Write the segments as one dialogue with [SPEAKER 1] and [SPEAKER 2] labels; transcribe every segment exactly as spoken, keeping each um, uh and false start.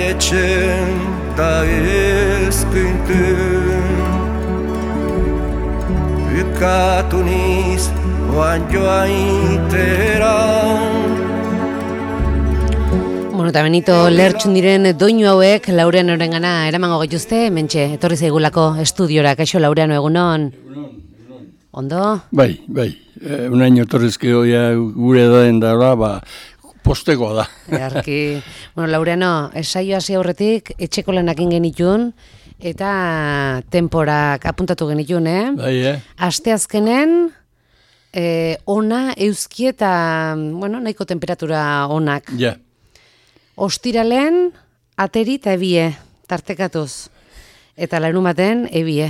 [SPEAKER 1] etxen ta ez küntün. Bukatu niz oan joaitera.
[SPEAKER 2] Bueno, eta Benito lertxun diren doinu hauek Laureano orengana eramango gaituzte, mentxe, etorri zaigulako estudiora, kaixo Laureano, egunon?
[SPEAKER 3] Egunon, egunon.
[SPEAKER 2] Ondo?
[SPEAKER 3] Bai, bai, e, unaino torrezkeo ja gure daen dara, ba, postekoa da.
[SPEAKER 2] Erki, bueno, Laureano, esaio hasi aurretik, etxeko lanak genitun, eta temporak apuntatu genitun, eh?
[SPEAKER 3] Bai, eh?
[SPEAKER 2] Asteazkenen, eh, ona, euski eta, bueno, nahiko temperatura onak.
[SPEAKER 3] Ja.
[SPEAKER 2] Ostiralen, ateri eta ebie, tartekatuz. Eta larumaten, ebie.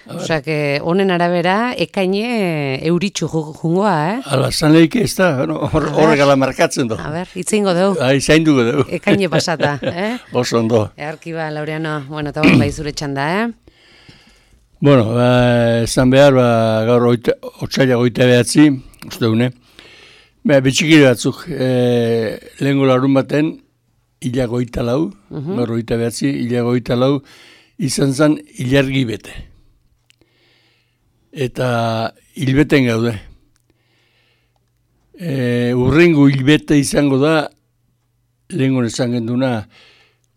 [SPEAKER 2] Osea, que honen arabera, ekaine euritxu jungoa, eh?
[SPEAKER 3] Ala, zanleik ez da, horregala markatzen du.
[SPEAKER 2] A ber, itzingo dugu.
[SPEAKER 3] Ai, zainduko dugu.
[SPEAKER 2] Ekaine pasata, eh?
[SPEAKER 3] Oso ondo.
[SPEAKER 2] Earki ba, Laureano, bueno, eta hori bai zure txanda, eh?
[SPEAKER 3] Bueno, ba, esan behar, ba, gaur otsaila goita behatzi, uste dune, ba, bitxikiri batzuk, e, lehenko larun baten, ila goita lau, uh -huh. gaur goita behatzi, ila goita lau, izan zen ilargi bete. Eta hilbeten gaude. E, urrengo hilbete izango da, lehenko esan genduna,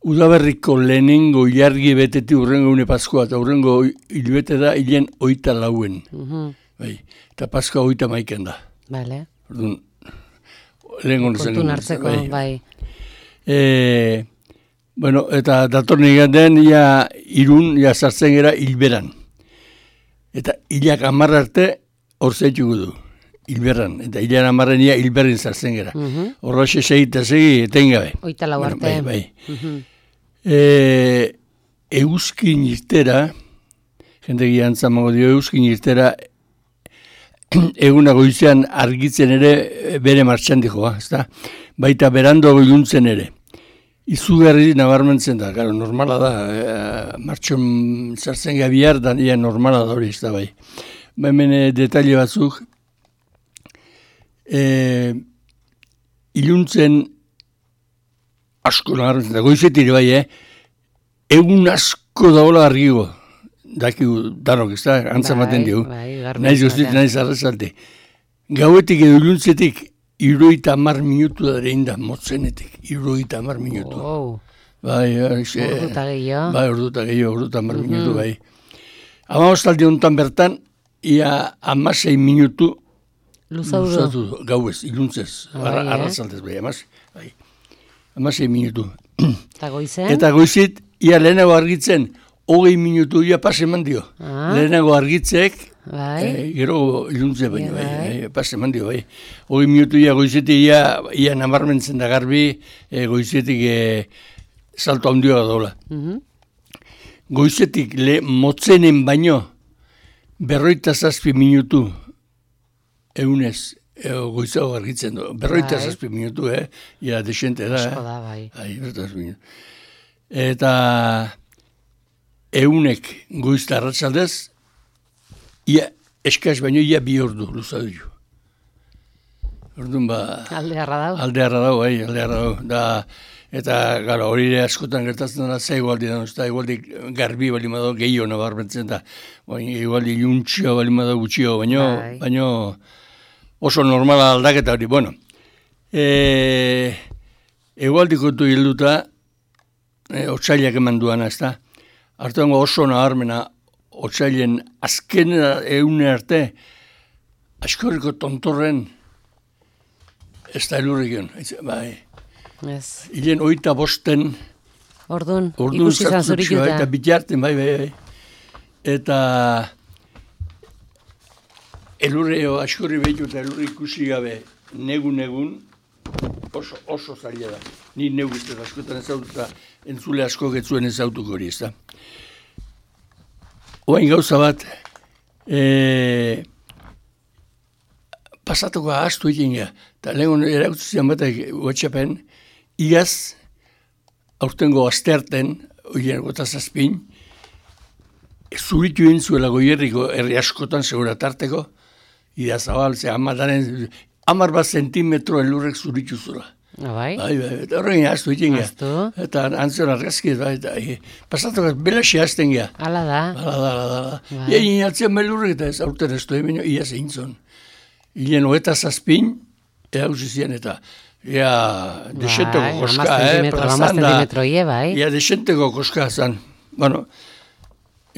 [SPEAKER 3] udaberriko lehenengo ilargi beteti urrengo une Paskoa, eta urrengo hilbete da hilen oita lauen. Uh-huh. Bai, eta Paskoa oita maiken da.
[SPEAKER 2] Vale.
[SPEAKER 3] Orduan, lehenko esan
[SPEAKER 2] genduna. Kontun hartzeko, bai. bai.
[SPEAKER 3] E, bueno, eta datorren igaten, ia irun, ia sartzen gara hilberan. Eta hilak amarra arte hor zaitugu du, hilberran. Eta hilak amarren ia hilberrin sartzen gara. Horra uh -huh. segi eta segi etengabe.
[SPEAKER 2] Oita lau arte.
[SPEAKER 3] Bueno, bai, bai. Uh -huh. e, euskin irtera, jende giantzamango dio euskin irtera, eguna goizean argitzen ere bere martxan dikoa, ezta? Baita berando goiluntzen ere. Izugarri nabarmentzen da, gara, normala da, e, martxon sartzen gabiar, da ia normala da hori, ez da bai. Hemen e, detaile batzuk, e, iluntzen asko nabarmentzen da, goizetire bai, eh? Egun asko daola argigo, dakigu danok, ez da, antzamaten digu. Naiz guztit, naiz arrazalte. Gauetik edo iluntzetik, iruita amar minutu da ere inda, motzenetik, iruita amar minutu.
[SPEAKER 2] Oh.
[SPEAKER 3] Bai,
[SPEAKER 2] orduta gehiago.
[SPEAKER 3] Bai, orduta gehiago, orduta amar mm-hmm. minutu, bai. Amabostaldi honetan bertan, ia amasei minutu luzatu gauez, iluntzez,
[SPEAKER 2] bai,
[SPEAKER 3] arrazaltez, bai, amaz, bai. Amasei minutu.
[SPEAKER 2] Eta goizet?
[SPEAKER 3] Eta goizit, ia lehenago argitzen, hogei minutu ia pase eman dio. Ah. Lehenago argitzek, bai. E, gero iluntze baino, bai, bai. Bai, pase eman dio, bai. Hogei minutu ia goizetik ia, ia nabarmentzen da garbi, e, goizetik e, salto handioa dola. Uh-huh. Goizetik le motzenen baino, berroita zazpi minutu, egunez, e, goizago argitzen du. Berroita bai. zazpi minutu, eh? Ia desente da,
[SPEAKER 2] Asko da, bai.
[SPEAKER 3] Bai, eta eunek goizta arratsaldez, ia eskaz baino ia bi ordu luzatu jo. Orduan ba...
[SPEAKER 2] Alde harra dau.
[SPEAKER 3] Alde harra dau, bai, alde harra dau. Da, eta gara, hori ere askotan gertatzen da, za igualdi da, eta igualdi garbi bali madau gehiago nabarmentzen da. Igualdi iluntxio bali madau gutxio, baino, bai. baino oso normala aldaketa hori. Bueno, e, igualdi kontu hilduta, e, otsailak eman duana, ez da? Artuango oso nabarmena, otsailen azken eune arte, askorriko tontorren ez da elurrikion. Bai.
[SPEAKER 2] Ez.
[SPEAKER 3] Hilen oita bosten.
[SPEAKER 2] Ordun, ikusi zan zurikuta.
[SPEAKER 3] Eta bitarten, bai, bai, bai. Eta elurreo askorri behitu eta elurri ikusi gabe negun-negun oso, oso zaila da. Ni negu ez askotan ezaututa entzule asko getzuen ezautuko hori, ez da. Oain gauza bat, e, pasatuko ahaztu egin gara, eta lehen erakutzen batek WhatsAppen, igaz, aurtengo astearten, oien gota zazpin, zuritu egin zuela goierriko herri askotan segura tarteko, idazabal, ze amadaren, amar bat zentimetro elurrek zuritu zula.
[SPEAKER 2] Bai,
[SPEAKER 3] bai, bai, eta horrein aztu iten gea.
[SPEAKER 2] Aztu.
[SPEAKER 3] Eta antzion argazki, bai, eta e, pasatuak belaxi azten gea.
[SPEAKER 2] Hala da.
[SPEAKER 3] Hala da, hala da.
[SPEAKER 2] Bai.
[SPEAKER 3] Ia inatzen melurrek eta ez aurten ez duen, baina ia zeintzon. Ilen hoeta zazpin, ea usizien eta ia desenteko
[SPEAKER 2] Bai,
[SPEAKER 3] koska,
[SPEAKER 2] hamar
[SPEAKER 3] eh,
[SPEAKER 2] zentimetro, hamar
[SPEAKER 3] plazan da.
[SPEAKER 2] zentimetro, ie, bai.
[SPEAKER 3] Ia desenteko koska zan. Bueno,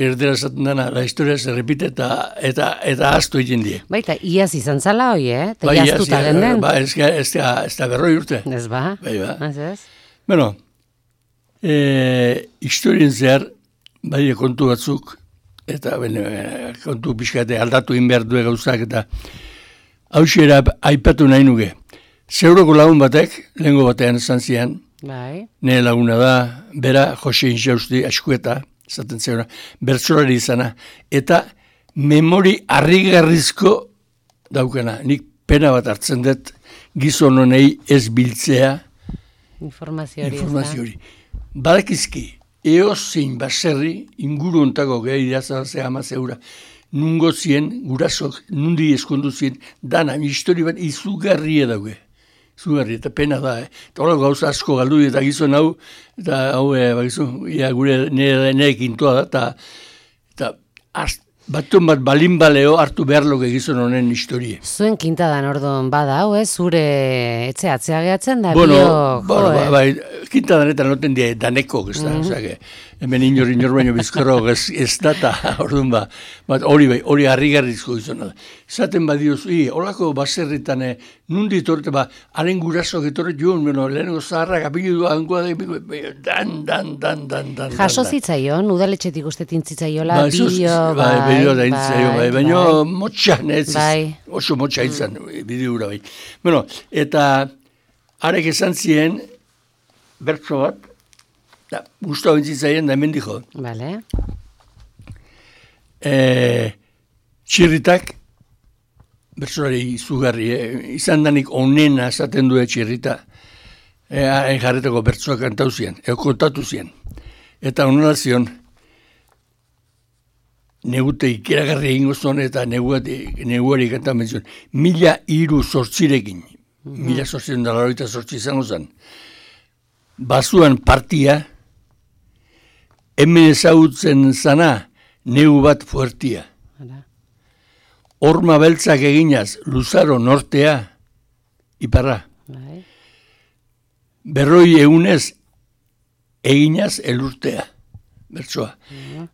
[SPEAKER 3] erdera zaten dana, la historia se repite eta eta eta aztu egin die.
[SPEAKER 2] Baita, iaz izan zala hoi, eh? Eta
[SPEAKER 3] Bai,
[SPEAKER 2] iaztuta
[SPEAKER 3] ia,
[SPEAKER 2] den den.
[SPEAKER 3] Ba, ez, ez, da, ez da berroi urte.
[SPEAKER 2] Ez ba?
[SPEAKER 3] Bai, ba.
[SPEAKER 2] Ez ez?
[SPEAKER 3] Bueno, e, historien zehar, bai kontu batzuk, eta bene, kontu pixkate aldatu inbehar due gauzak, eta hausiera aipatu nahi nuke. Zeuroko lagun batek, lehengo batean esan zian,
[SPEAKER 2] Bai.
[SPEAKER 3] nire laguna da, bera, Jose Inxausti, askueta, zaten zeura, bertsolari izana, eta memori harrigarrizko daukena. Nik pena bat hartzen dut, gizon honei ez biltzea,
[SPEAKER 2] Informazio hori.
[SPEAKER 3] informazio hori. Badakizki, eozein baserri, inguru ontako gehi irazazea amazeura, nungo zien, gurasok, nundi eskondu zien, dana, histori bat izugarria dauge. Izugarria, eta pena da, eh? Eta hola gauza asko galdu eta gizon hau, eta hau, eh, bakizu, ia gure nire neekin toa da, eta, eta az, batun bat balin baleo hartu behar loke gizon honen historie.
[SPEAKER 2] Zuen kintadan orduan bada, hau, ez? Zure etxe atzea gehatzen da,
[SPEAKER 3] Bueno,
[SPEAKER 2] bio,
[SPEAKER 3] bueno,
[SPEAKER 2] jo,
[SPEAKER 3] ba,
[SPEAKER 2] eh?
[SPEAKER 3] bai, kintadan noten die daneko, ez da, osea, hemen inor inor baino bizkorro ez, ez data, orduan ba, bat hori bai, hori harrigarrizko izan da. Zaten badioz, i, holako baserritan, eh, nundi torte, ba, haren gurasok etorret joan, bueno, lehenengo zaharrak apilu hangoa da, dan, dan, dan, dan, dan.
[SPEAKER 2] Jaso zitzaion, udaletxetik uste tintzitzaiola,
[SPEAKER 3] Ba, ez uz-
[SPEAKER 2] bideo,
[SPEAKER 3] bai,
[SPEAKER 2] bai,
[SPEAKER 3] bideo da intzaio, bai, baina
[SPEAKER 2] bai.
[SPEAKER 3] motxan, ez,
[SPEAKER 2] Bai.
[SPEAKER 3] oso motxa izan, bideura bai. Bueno, eta arek esan zien, bertso bat, da, guztua bintzitzaien da hemen dijo,
[SPEAKER 2] Bale.
[SPEAKER 3] e, txirritak, bertsolari izugarri, eh, izan danik onena esaten du txirrita, e, hain jarretako bertsoak kantau zian, eo kontatu zian. Eta onela zion, negute ikeragarri egingo zuen eta neguari, neguari kantan menzion, mila hiru sortzirekin, mila sortziren da laroita sortzi izango zen, bazuan partia, hemen ezagutzen zana, negu bat fuertia.
[SPEAKER 2] Hala.
[SPEAKER 3] Horma beltzak eginaz, luzaro nortea, iparra.
[SPEAKER 2] Bai.
[SPEAKER 3] Berroi egunez, eginaz elurtea, bertsoa.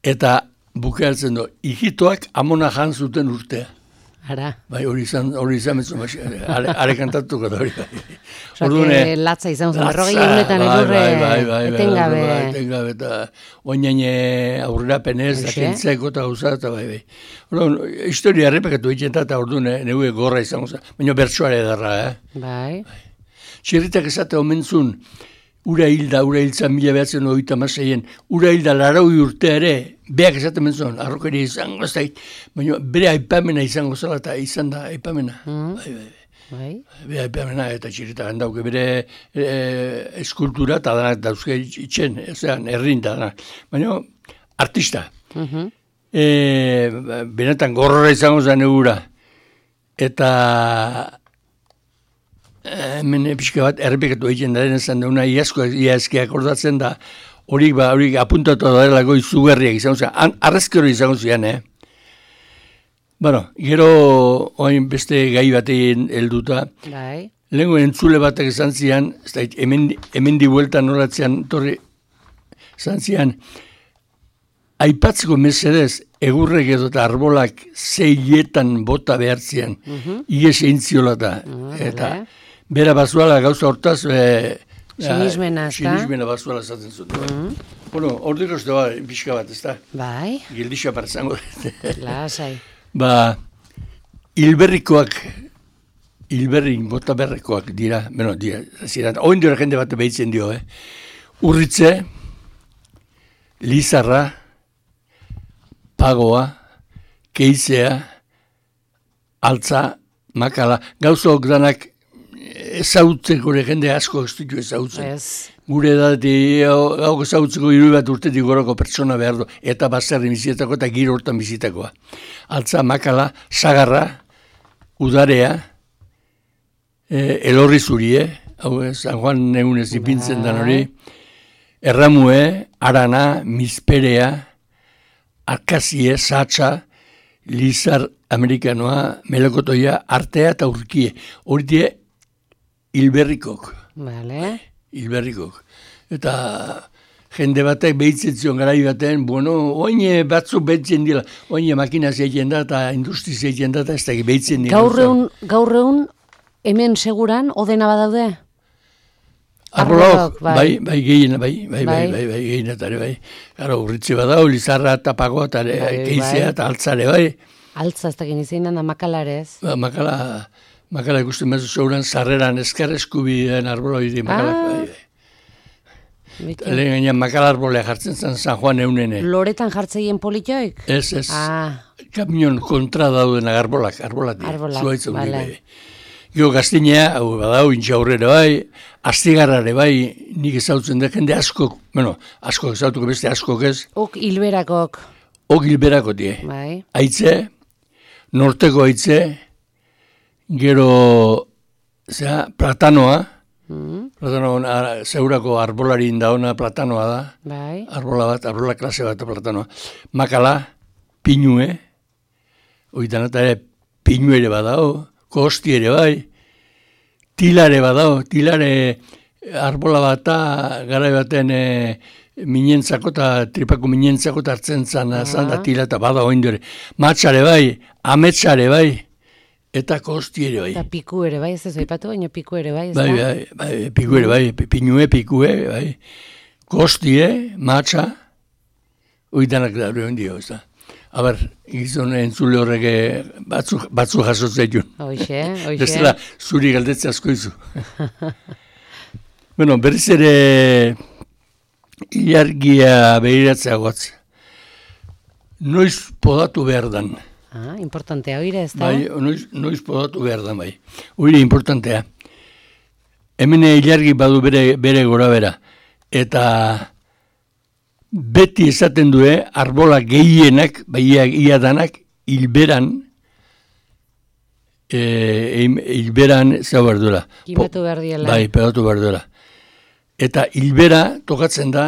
[SPEAKER 3] Eta bukeatzen du, hijitoak amona jan zuten urtea.
[SPEAKER 2] Ara.
[SPEAKER 3] Bai, hori izan, hori izan betzu, are, are kantatuko da hori.
[SPEAKER 2] Osea,
[SPEAKER 3] Orduan,
[SPEAKER 2] que
[SPEAKER 3] eh,
[SPEAKER 2] latza izan zen,
[SPEAKER 3] latza,
[SPEAKER 2] berrogei egunetan
[SPEAKER 3] bai,
[SPEAKER 2] elurre
[SPEAKER 3] bai, bai, bai, bai,
[SPEAKER 2] etengabe.
[SPEAKER 3] bai, etengabe, eta oinain aurrera penez, da
[SPEAKER 2] Hoxe.
[SPEAKER 3] kentzeko eta gauza, eta bai, bai. Orduan, historia errepekatu egiten da, eta orduan, eh, neue gorra izango zen, baina bertsoare edarra, eh?
[SPEAKER 2] Bai.
[SPEAKER 3] Txirritak esate omentzun, ura hilda, ura hiltzan mila behatzen oita maseien, ura hilda laraui urtea ere, beak esaten mentzun, arrokeria izango ez da, baina bere aipamena izango zela, eta izan da aipamena.
[SPEAKER 2] Mm.
[SPEAKER 3] Bai, bai, bai.
[SPEAKER 2] Bai.
[SPEAKER 3] Bere aipamena eta txirritak handauke bere e, eskultura eta danak dauzke itxen, ezean, errin da danak. Baina, artista.
[SPEAKER 2] Mhm.
[SPEAKER 3] E, benetan gorrora izango zen egura. Eta hemen pixka bat errepikatu egiten da denezan da, una iazko iazki akordatzen da, horik ba, horik apuntatu da delako izugarriak izango zen, arrezkero izango zian, eh? Bueno, gero oain beste gai batean helduta,
[SPEAKER 2] Bai.
[SPEAKER 3] lehenko entzule batek esan zian, ez da, hemen, hemen di bueltan noratzean, torri, esan zian, aipatzeko mesedez, egurrek edo eta arbolak zeietan bota behartzean,
[SPEAKER 2] Mhm.
[SPEAKER 3] ies eintziola da.
[SPEAKER 2] Ah,
[SPEAKER 3] Eta
[SPEAKER 2] bale.
[SPEAKER 3] bera bazuala gauza hortaz, e,
[SPEAKER 2] Sinismena, ezta?
[SPEAKER 3] sinismena bazuala esaten zuten. Bueno, ordiko ez da, pixka bat, ez da,
[SPEAKER 2] Bai.
[SPEAKER 3] gildixa parzango.
[SPEAKER 2] Lasai.
[SPEAKER 3] Ba, hilberrikoak, hilberrin bota berrekoak dira, bueno, dira, ziren, oin dira jende bat behitzen dio, eh? Urritze, Lizarra, Pagoa, Keizea, Altza, Makala, gauzok danak ezautzeko gure jende asko ez ditu ezautzen.
[SPEAKER 2] Ez.
[SPEAKER 3] Gure edati, hau ezautzeko hiru bat urtetik gorako pertsona behar du, eta baserri bizitako eta giro hortan bizitakoa. Altza, Makala, Sagarra, Udarea, e, Elorri zurie, hau San Juan egunez ipintzen dan hori, erramue, arana, mizperea, arkazie, satsa, lizar amerikanoa, melokotoia, artea eta urkie. Hori die, hilberrikok.
[SPEAKER 2] Vale.
[SPEAKER 3] Hilberrikok. Eta jende batek behitzen zion garai baten, bueno, oine batzuk behitzen dira, oine makina zeitzen da eta industri zeitzen da eta ez da behitzen dira.
[SPEAKER 2] Gaur egun, hemen seguran, odena badaude?
[SPEAKER 3] Arbolok, bai, bai, gehien, bai, bai, bai, bai, bai, gehien eta bai. Garo, urritze badau, lizarra eta pagoa eta keizea eta altzare, bai.
[SPEAKER 2] Altza, ez da genizien da makalarez.
[SPEAKER 3] Ba, makala, makala ikusten bezu zauran, sarreran eskerreskubien arboloi di makalak, bai, bai. Lehen gainean makala arbolea jartzen zen San Juan eunene.
[SPEAKER 2] Loretan jartzeien politoik?
[SPEAKER 3] Ez, ez.
[SPEAKER 2] Ah.
[SPEAKER 3] Kamion kontra dauden arbolak, arbolak.
[SPEAKER 2] Arbolak,
[SPEAKER 3] Zuaitzen
[SPEAKER 2] bale.
[SPEAKER 3] Bai. Gio gaztinea, hau badau, intxaurrere bai, astigarrare bai, nik ezautzen da jende askok, bueno, askok ezautuko beste askok ez.
[SPEAKER 2] Ok hilberakok.
[SPEAKER 3] Ok hilberako die.
[SPEAKER 2] Bai.
[SPEAKER 3] Aitze, norteko aitze, gero, zera, platanoa, mm. platanoa, zeurako arbolarin da ona platanoa da.
[SPEAKER 2] Bai.
[SPEAKER 3] Arbola bat, arbola klase bat platanoa. Makala, pinue, oitan eta ere pinue ere badao, kosti ere bai, tilare badao, tilare arbola bata, gara baten e, minentzako eta tripako minentzako eta hartzen zan, zan da tila eta bada oindore. Matxare bai, ametsare bai, eta kosti ere bai.
[SPEAKER 2] Eta piku ere bai, ez ez aipatu, baina piku ere bai, ez
[SPEAKER 3] bai,
[SPEAKER 2] da?
[SPEAKER 3] bai, bai, piku ere bai, pinue, pikue, bai, kostie, matxa, oidanak da hori ondio, ez da. Aber, gizon entzule horrek batzu, batzu jasotzea
[SPEAKER 2] Hoxe, hoxe.
[SPEAKER 3] Bestela, zuri galdetze asko izu. Bueno, berriz ere ilargia behiratzea gotz. Noiz podatu behar dan.
[SPEAKER 2] Ah, importantea, oire ez da?
[SPEAKER 3] Bai, noiz, noiz podatu behar dan, bai. Oire, importantea. Hemen ilargi badu bere, bere gora bera. Eta beti esaten due, arbola gehienak, bai ia danak, hilberan, e, hilberan zau behar duela.
[SPEAKER 2] Kimatu behar diela.
[SPEAKER 3] Bai, pegatu behar duela. Eta hilbera tokatzen da,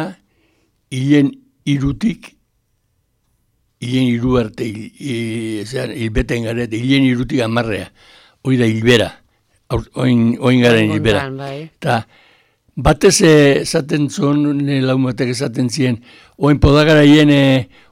[SPEAKER 3] hilen irutik, hilen iru arte, hilbeten garet, hilen irutik amarrea. Hoi da hilbera, oin, oin garen hilbera. Eta batez esaten zuen, laumatek esaten ziren, oin podagara hien,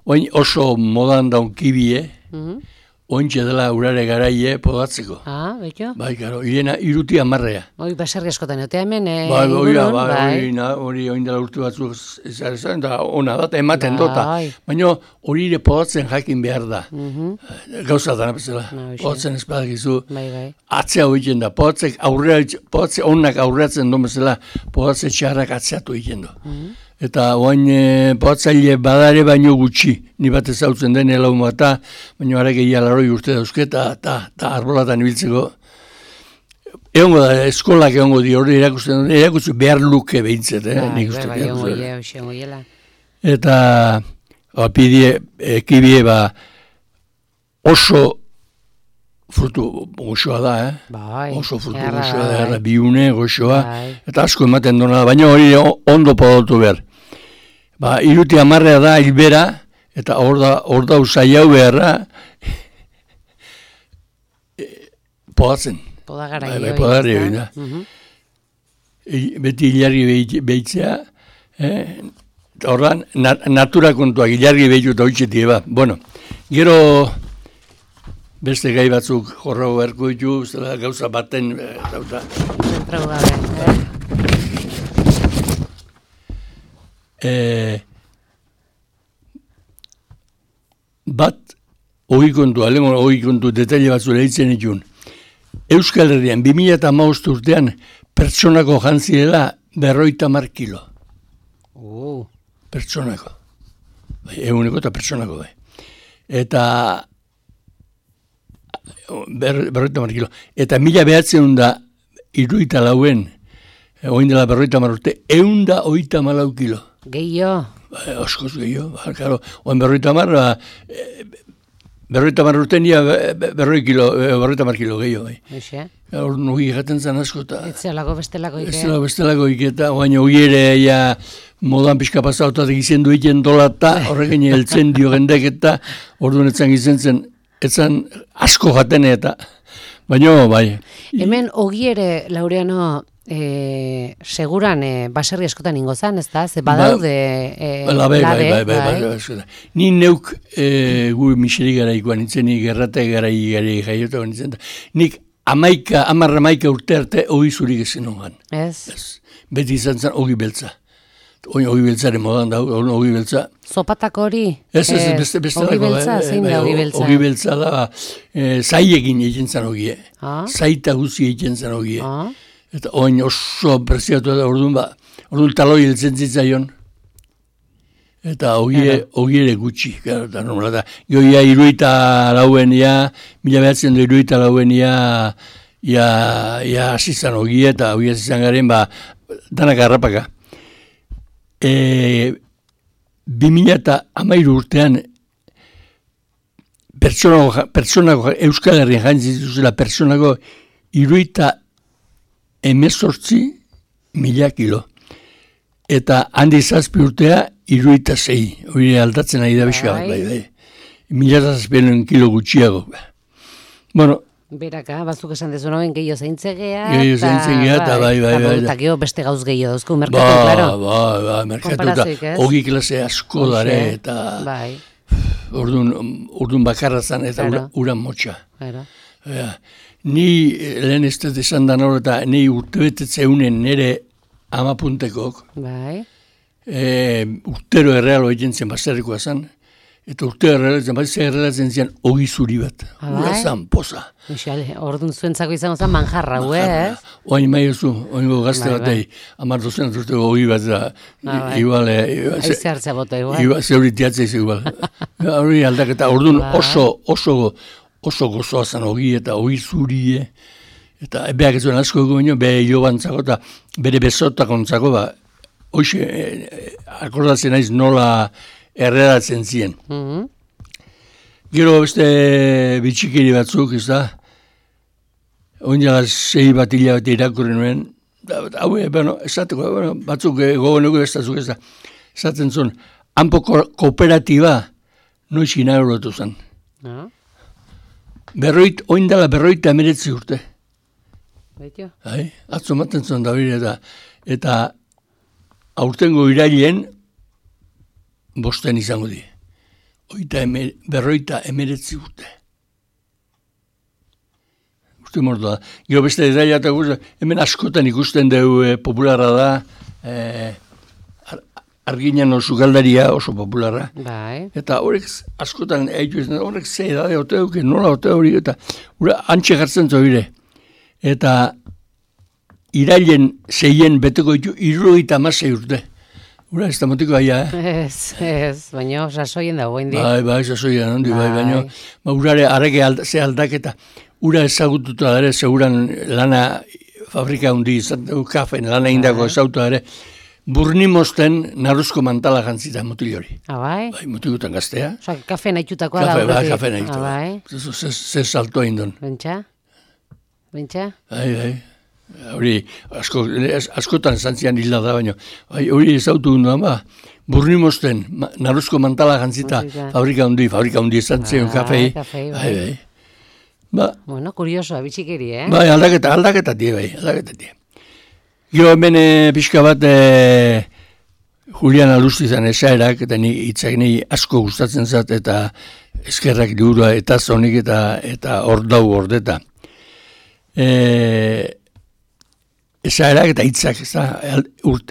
[SPEAKER 3] oin oso modan daun kibie, mm-hmm. Oin txedela urare garaie podatzeko.
[SPEAKER 2] Ah, betxo?
[SPEAKER 3] Bai, karo, hiena iruti amarrea.
[SPEAKER 2] Oi, baserri askotan, otea hemen, eh,
[SPEAKER 3] bai,
[SPEAKER 2] ingurun,
[SPEAKER 3] bai,
[SPEAKER 2] bai.
[SPEAKER 3] Bai, hori oin dela urtu batzuk ezaren, eta ona da, ematen bai. Dota. Baina hori ere podatzen jakin behar da. Mm-hmm. Gauza dana bezala. No, podatzen ez badakizu. Bai, bai. Atzea hoitzen da. Podatzek aurrea, podatze onak aurreatzen duen bezala, podatze txarrak atzeatu hoitzen du. Mm-hmm. Eta oain e, podatzaile badare baino gutxi, ni bat ezautzen den elaun bata, baina harek egia laroi urte dauzke, eta arbolatan ibiltzeko. Egongo da, eskolak egongo di hori erakusten, erakusten behar luke behintzet, eh? Ba, nik uste. Ba, egongo ie, egongo iela. Eta, apidie, ekibie, ba, oso frutu goxoa da, eh? Bai, oso frutu erra, goxoa da, erra, biune goxoa, bai. Eta asko ematen dona da, baina hori ondo podatu behar. Ba, iruti amarrea da, hilbera, eta hor da, hor da usai hau beharra, e, podatzen.
[SPEAKER 2] Podagara
[SPEAKER 3] bai, bai, podagara hori da. Uh-huh. E, beti hilargi behitzea, eh? Horra, nat natura kontuak hilargi behitu eta hoitxetik, ba. Bueno, gero beste gai batzuk jorra beharko ditu, zela gauza baten, dauta.
[SPEAKER 2] Zentrau gabe, eh?
[SPEAKER 3] E, bat hori kontu, alemo hori kontu detaile batzu lehitzen itun. Euskal Herrian, bi mila hamabost urtean, pertsonako jantzirela berroita mar kilo.
[SPEAKER 2] Oh.
[SPEAKER 3] Pertsonako. Bai, eguneko eta pertsonako. Bai. Eta ber, berroita mar kilo. Eta mila behatzen da iruita lauen, oin dela berroita mar urte, eunda oita malau kilo.
[SPEAKER 2] Gehio.
[SPEAKER 3] Ba, oskoz gehio, ba, karo, oin berroita mar, ba, e, berroita mar urte nia berroi kilo, berroita mar kilo gehiago, bai.
[SPEAKER 2] Eixe.
[SPEAKER 3] Hor nugi gaten zan asko, eta...
[SPEAKER 2] Ez zelako bestelako ike.
[SPEAKER 3] Ez zelako bestelako ike, eta baina hori ere, ja, modan pixka pasautat egizien duiten dolata, horrekin heltzen dio gendek, eta orduan etzan gizen zen, etzan asko jatene, eta... Baina, bai.
[SPEAKER 2] Hemen, ogi ere, Laureano, E, seguran e, baserri askotan ingo zan, ez da? Ze badaude e,
[SPEAKER 3] ba, bai,
[SPEAKER 2] labe,
[SPEAKER 3] bai, bai, bai, bai, bai. Ni neuk e, gu miseri gara ikuan nintzen, nik errate gara gara jaiota nintzen, nik amaika, amarra amaika urte arte ogi zurik ezin hongan.
[SPEAKER 2] Ez?
[SPEAKER 3] Ez. Beti izan zen ogi beltza. Ogi beltzaren modan da, ogi beltza.
[SPEAKER 2] Zopatak hori?
[SPEAKER 3] Ez, ez, e, beste, beste
[SPEAKER 2] ogi beltza,
[SPEAKER 3] bai,
[SPEAKER 2] zein
[SPEAKER 3] bai,
[SPEAKER 2] da ogi beltza?
[SPEAKER 3] Ogi beltza da, e, zaiekin egin zen ogie.
[SPEAKER 2] Ah?
[SPEAKER 3] Zaita guzi egin zen ogie.
[SPEAKER 2] Ah?
[SPEAKER 3] Eta oin oso preziatu da, orduan ba, orduan taloi heltzen zitzaion. Eta ogie, ogiere gutxi, gara, eta normala da. Joia iruita lauen, ja, mila behatzen du iruita lauen, ja, ja, ja, asizan ogie, eta ogie asizan garen, ba, danak harrapaka. E, bi mila eta amairu urtean, pertsonako, pertsonako, Euskal Herrian jantzit zuzela, pertsonako iruita emezortzi mila kilo. Eta handi zazpi urtea, iruita zei. Hori aldatzen ari da bizka bat, bai, bai. Mila zazpien kilo gutxiago. Bueno.
[SPEAKER 2] Beraka, bazuk esan dezu noen gehiago zeintzegea.
[SPEAKER 3] Gehiago zeintzegea, eta bai, bai, bai.
[SPEAKER 2] Eta gehiago beste gauz gehiago duzku, merkatu, klaro.
[SPEAKER 3] Ba, ba, ba, merkatu, eta hogi klase asko dare, eta...
[SPEAKER 2] Bai.
[SPEAKER 3] Urdun bakarra zan, eta uran motxa.
[SPEAKER 2] Claro.
[SPEAKER 3] Ni lehen ez dut esan da nor, eta ni urtebetetzeunen nire amapuntekok.
[SPEAKER 2] Bai.
[SPEAKER 3] E, urtero errealo egin zen baserrikoa zan, eta urtero errealo zen, bat ze errealatzen zian ogi zuri bat. Ura zan, poza.
[SPEAKER 2] Mixale, orduan zuentzako izango zen manjarra, ue, ez?
[SPEAKER 3] Oain mai oso, oain gazte batei, amar dozen urteko ogi bat da, igual...
[SPEAKER 2] Aize hartzea bota, igual.
[SPEAKER 3] Igual, zeuritiatzea iz igual. Hori aldaketa, orduan oso, oso... oso gozoa zen ogi eta ogi zurie, eta beak ez duen asko egu baino, beha jo bantzako eta bere bezotak ontzako, ba, hoxe, eh, akordatzen naiz nola erreratzen ziren. Mm -hmm. Gero beste bitxikiri batzuk, ez da, oinala sei bat hila bat irakurri nuen, hau, bueno, esateko, bueno, batzuk gogo nuke bestazuk, ez da, esaten zuen, hanpo kooperatiba noiz inauguratu zen.
[SPEAKER 2] Ah.
[SPEAKER 3] Berroit, oindala berroita emeretzi urte.
[SPEAKER 2] Baitio?
[SPEAKER 3] Hai, atzo maten zuen da bire, eta, eta aurtengo irailen bosten izango di. Oita emer, berroita emeretzi urte. Urte mordo da. Gero beste detaila eta guzti, hemen askotan ikusten dugu e, popularra da, e, Arginan oso galdaria oso popularra.
[SPEAKER 2] Bai.
[SPEAKER 3] Eta horrek askotan eitu izan, horrek ze edade ote duke, nola ote hori, eta ura antxe jartzen zoire. Eta irailen zeien beteko ditu irrogeita hamasei urte. Ura ez da motiko aia,
[SPEAKER 2] eh? Ez, ez, baina sasoien dago indi.
[SPEAKER 3] Bai, bai, sasoien handi, bai, baina ba, urare arreke alda, ze aldaketa, ura ezagututa ere, seguran lana fabrika hundi izan dugu kafen, lana indako ezautu ere, Burnimosten naruzko mantala jantzita mutil hori.
[SPEAKER 2] Ah, bai?
[SPEAKER 3] Bai, mutigutan gaztea.
[SPEAKER 2] Osa, kafe nahitutakoa da.
[SPEAKER 3] Kafe, bai, kafe nahitutakoa.
[SPEAKER 2] Ah, bai?
[SPEAKER 3] Ze, ze salto indon.
[SPEAKER 2] Bentsa? Bentsa?
[SPEAKER 3] Bai, bai. Hori, asko, askotan zantzian hila da, baina, bai, hori ezautu gunduan, ba, Burnimosten naruzko mantala jantzita fabrika hundi, fabrika hundi zantzion kafei.
[SPEAKER 2] Kafei,
[SPEAKER 3] bai. Bai, ba.
[SPEAKER 2] Bueno, kurioso, bitxikeri, eh?
[SPEAKER 3] Bai, aldaketa, aldaketa die, bai, aldaketa die. Gero hemen e, pixka bat e, Julian Alustizan esaerak, eta ni hitzak ni asko gustatzen zat, eta eskerrak diurua eta zonik eta eta ordau ordeta. E, esaerak eta hitzak, ez da,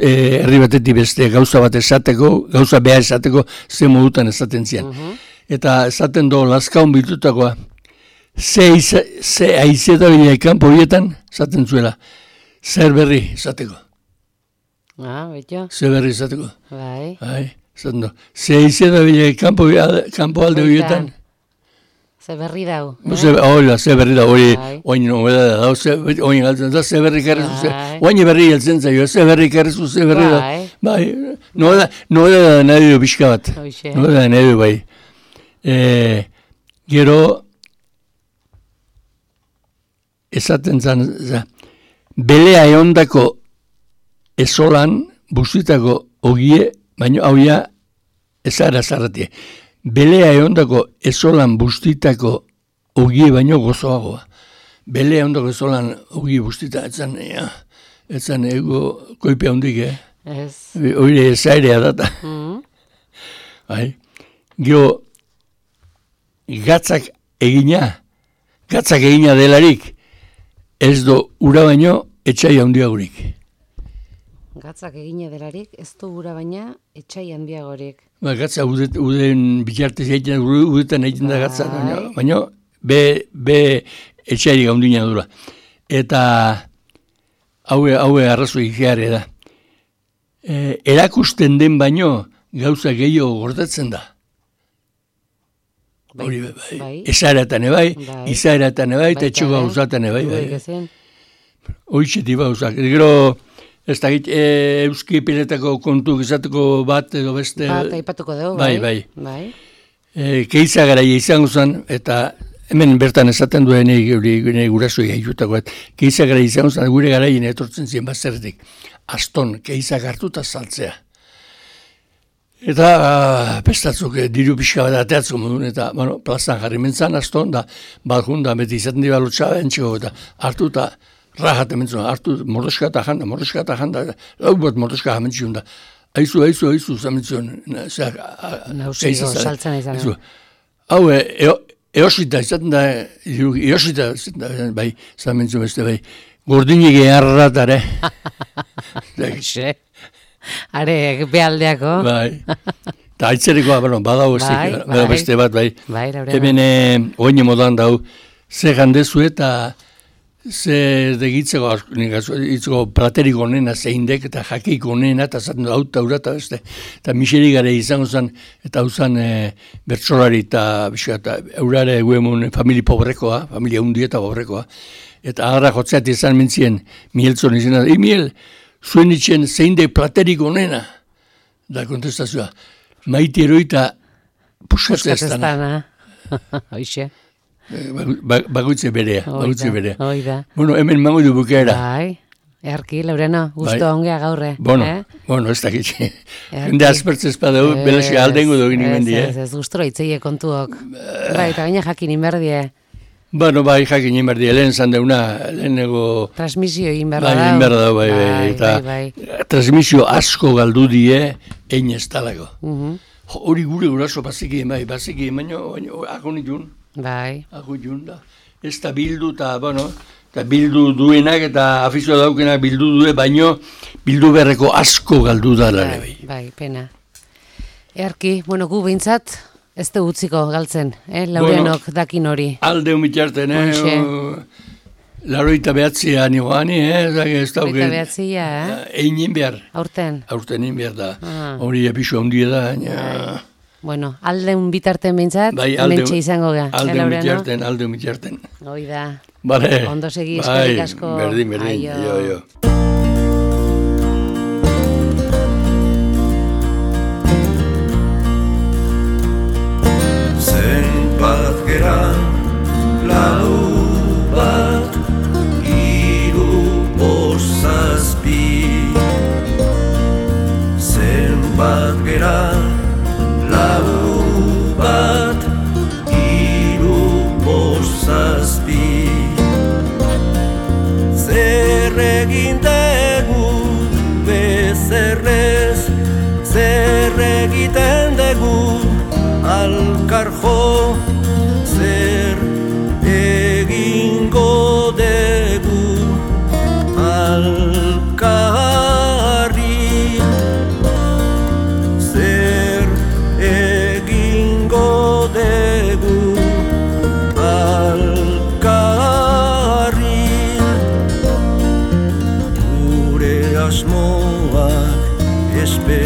[SPEAKER 3] herri batetik beste gauza bat esateko, gauza behar esateko, ze modutan esaten zian. Uh-huh. Eta esaten do, lazkaun bitutakoa, ze, ze aizeta bineekan porietan, esaten zuela, zer berri izateko.
[SPEAKER 2] Ah, betio.
[SPEAKER 3] Zer berri izateko.
[SPEAKER 2] Bai.
[SPEAKER 3] Bai, zaten do. Zer izan da bile kampo, kampo alde horietan.
[SPEAKER 2] Zer berri dau.
[SPEAKER 3] Hola, zer berri dau. Hori, oin nobeda da, oin galtzen da, zer berri karrezu. Oin berri heltzen zaio, zer berri karrezu, zer berri da. Bai, nobeda da nahi du pixka bat. Nobeda da nahi du, bai. Gero, esaten zan, belea eondako ezolan bustitako ogie, baino hauia ezara zarratie. Belea eondako ezolan bustitako ogie baino gozoagoa. Belea eondako ezolan ogie bustita, etzan, ja, etzan ego koipea hondik, eh?
[SPEAKER 2] Ez.
[SPEAKER 3] Oire ezairea data.
[SPEAKER 2] Mm.
[SPEAKER 3] Bai. Gero, gatzak egina, gatzak egina delarik, ez do ura baino etxai handiagorik.
[SPEAKER 2] Gatzak egine delarik, ez du ura baina etxai handiagorik.
[SPEAKER 3] Ba, gatza udet, uden bitartez egiten, udetan egiten da gatza, baina, baina be, be etxairik handina dura. Eta haue, haue arrazoi geare da. E, erakusten den baino gauza gehiago gordetzen da.
[SPEAKER 2] Bai,
[SPEAKER 3] Hori, bai,
[SPEAKER 2] bai.
[SPEAKER 3] Ezaeratan ebai,
[SPEAKER 2] Bai.
[SPEAKER 3] izaeratan ebai, eta
[SPEAKER 2] Baita
[SPEAKER 3] etxo
[SPEAKER 2] ere.
[SPEAKER 3] gauzatan ebai, bai.
[SPEAKER 2] Gezen.
[SPEAKER 3] Hoitxeti bauzak. Gero, ez da, e, euski piletako kontu gizateko bat edo beste.
[SPEAKER 2] Bat, aipatuko dugu,
[SPEAKER 3] Bai,
[SPEAKER 2] bai.
[SPEAKER 3] bai.
[SPEAKER 2] Bai.
[SPEAKER 3] E, keiza garaia izango zen, eta hemen bertan esaten duen gure gurasoi haitutako, keiza garaia izango zen, gure garaien etortzen ziren bazertik. Aston, keiza hartuta saltzea. Eta pestatzuk diru pixka bat ateatzko modun, eta bueno, plazan jarri mentzan aston, da balkun da beti izaten dira lotxaba entxeko, eta hartu eta rajate mentzun, hartu mordoska eta janda, mordoska eta janda, lau bat mordoska jamentzion da. Aizu, aizu, aizu, zamentzion.
[SPEAKER 2] Nausiko saltzen izan.
[SPEAKER 3] Hau, eo, eosita izaten da, eosita izaten da, bai, zamentzion beste, bai, gordinik eharratare.
[SPEAKER 2] Xe. Are, behaldeako.
[SPEAKER 3] Bai. Eta aitzerikoa, bueno, badau
[SPEAKER 2] Bai,
[SPEAKER 3] bai,
[SPEAKER 2] bai.
[SPEAKER 3] beste bat, bai.
[SPEAKER 2] Bai, Laurena.
[SPEAKER 3] Hemen eh, oine modan dau, ze gandezu eta ze degitzeko, itzeko praterik onena, zeindek, eta jakik onena, eta zaten hau taura, eta beste. Eta miseri gare izango zen, eta hau zen e, bertsolari eta bizka, eta eurare guemun famili pobrekoa, familia hundi eta pobrekoa. Eta agarra jotzeat izan mentzien, Mieltzon izan, e, Miel, zuen itxen zeinde platerik onena, da kontestazioa. Maiti eroita puskatzea ez dana.
[SPEAKER 2] Hoixe.
[SPEAKER 3] Bagoitze berea, bagoitze berea.
[SPEAKER 2] Oida.
[SPEAKER 3] Bueno, hemen mango du bukaera.
[SPEAKER 2] Bai, earki, Laurena, gusto
[SPEAKER 3] Bai.
[SPEAKER 2] ongea gaurre.
[SPEAKER 3] Bueno,
[SPEAKER 2] eh?
[SPEAKER 3] bueno, ez dakitxe.
[SPEAKER 2] Erki.
[SPEAKER 3] Jende aspertzez padau, belasi aldengo dugu nimendi,
[SPEAKER 2] Ez,
[SPEAKER 3] eh?
[SPEAKER 2] ez, ez, gustora itzeie kontuok. Bai, eta gaina jakin inberdie.
[SPEAKER 3] Bueno, bai, jakin inberdi, lehen zan deuna, lehenego...
[SPEAKER 2] Transmisio egin
[SPEAKER 3] Bai,
[SPEAKER 2] berda dau.
[SPEAKER 3] egin behar da, bai, bai, eta
[SPEAKER 2] bai, bai.
[SPEAKER 3] transmisio asko galdu die, ein ez talako.
[SPEAKER 2] Mhm.
[SPEAKER 3] Jo, hori gure guraso bazikien, bai, bazikien, baina, baina, agonitun,
[SPEAKER 2] Bai.
[SPEAKER 3] agonitun da. Ez da bildu, eta, bueno, eta bildu duenak, eta afizio daukenak bildu due, baino, bildu beharreko asko galdu da, lare, bai.
[SPEAKER 2] Bai, pena. Earki, bueno, gu behintzat, ez du utziko galtzen, eh? Laurenok bueno, dakin hori.
[SPEAKER 3] Alde humitxarten, eh?
[SPEAKER 2] Hoxe.
[SPEAKER 3] Laroita behatzia nioani, eh? Ez da,
[SPEAKER 2] Laroita behatzia, eh?
[SPEAKER 3] Egin behar.
[SPEAKER 2] Aurten.
[SPEAKER 3] Aurten egin behar da.
[SPEAKER 2] Ah.
[SPEAKER 3] Hori apisu handia da, baina...
[SPEAKER 2] Bai. Bueno, aldeun bitarten behintzat,
[SPEAKER 3] Bai, alde,
[SPEAKER 2] mentxe izango ga.
[SPEAKER 3] alde humitxarten, alde humitxarten.
[SPEAKER 2] Hoi da.
[SPEAKER 3] Vale.
[SPEAKER 2] Ondo segi,
[SPEAKER 3] bai,
[SPEAKER 2] eskerrik asko.
[SPEAKER 3] Berdin, berdin.
[SPEAKER 2] Aio.
[SPEAKER 3] Jo, jo.
[SPEAKER 1] Zenbat gera, lau bat, hiru bost zazpi. Zenbat gera, lau bat, hiru bost zazpi. Zer egin dugu bezerrez, zer egiten dugu alkar jo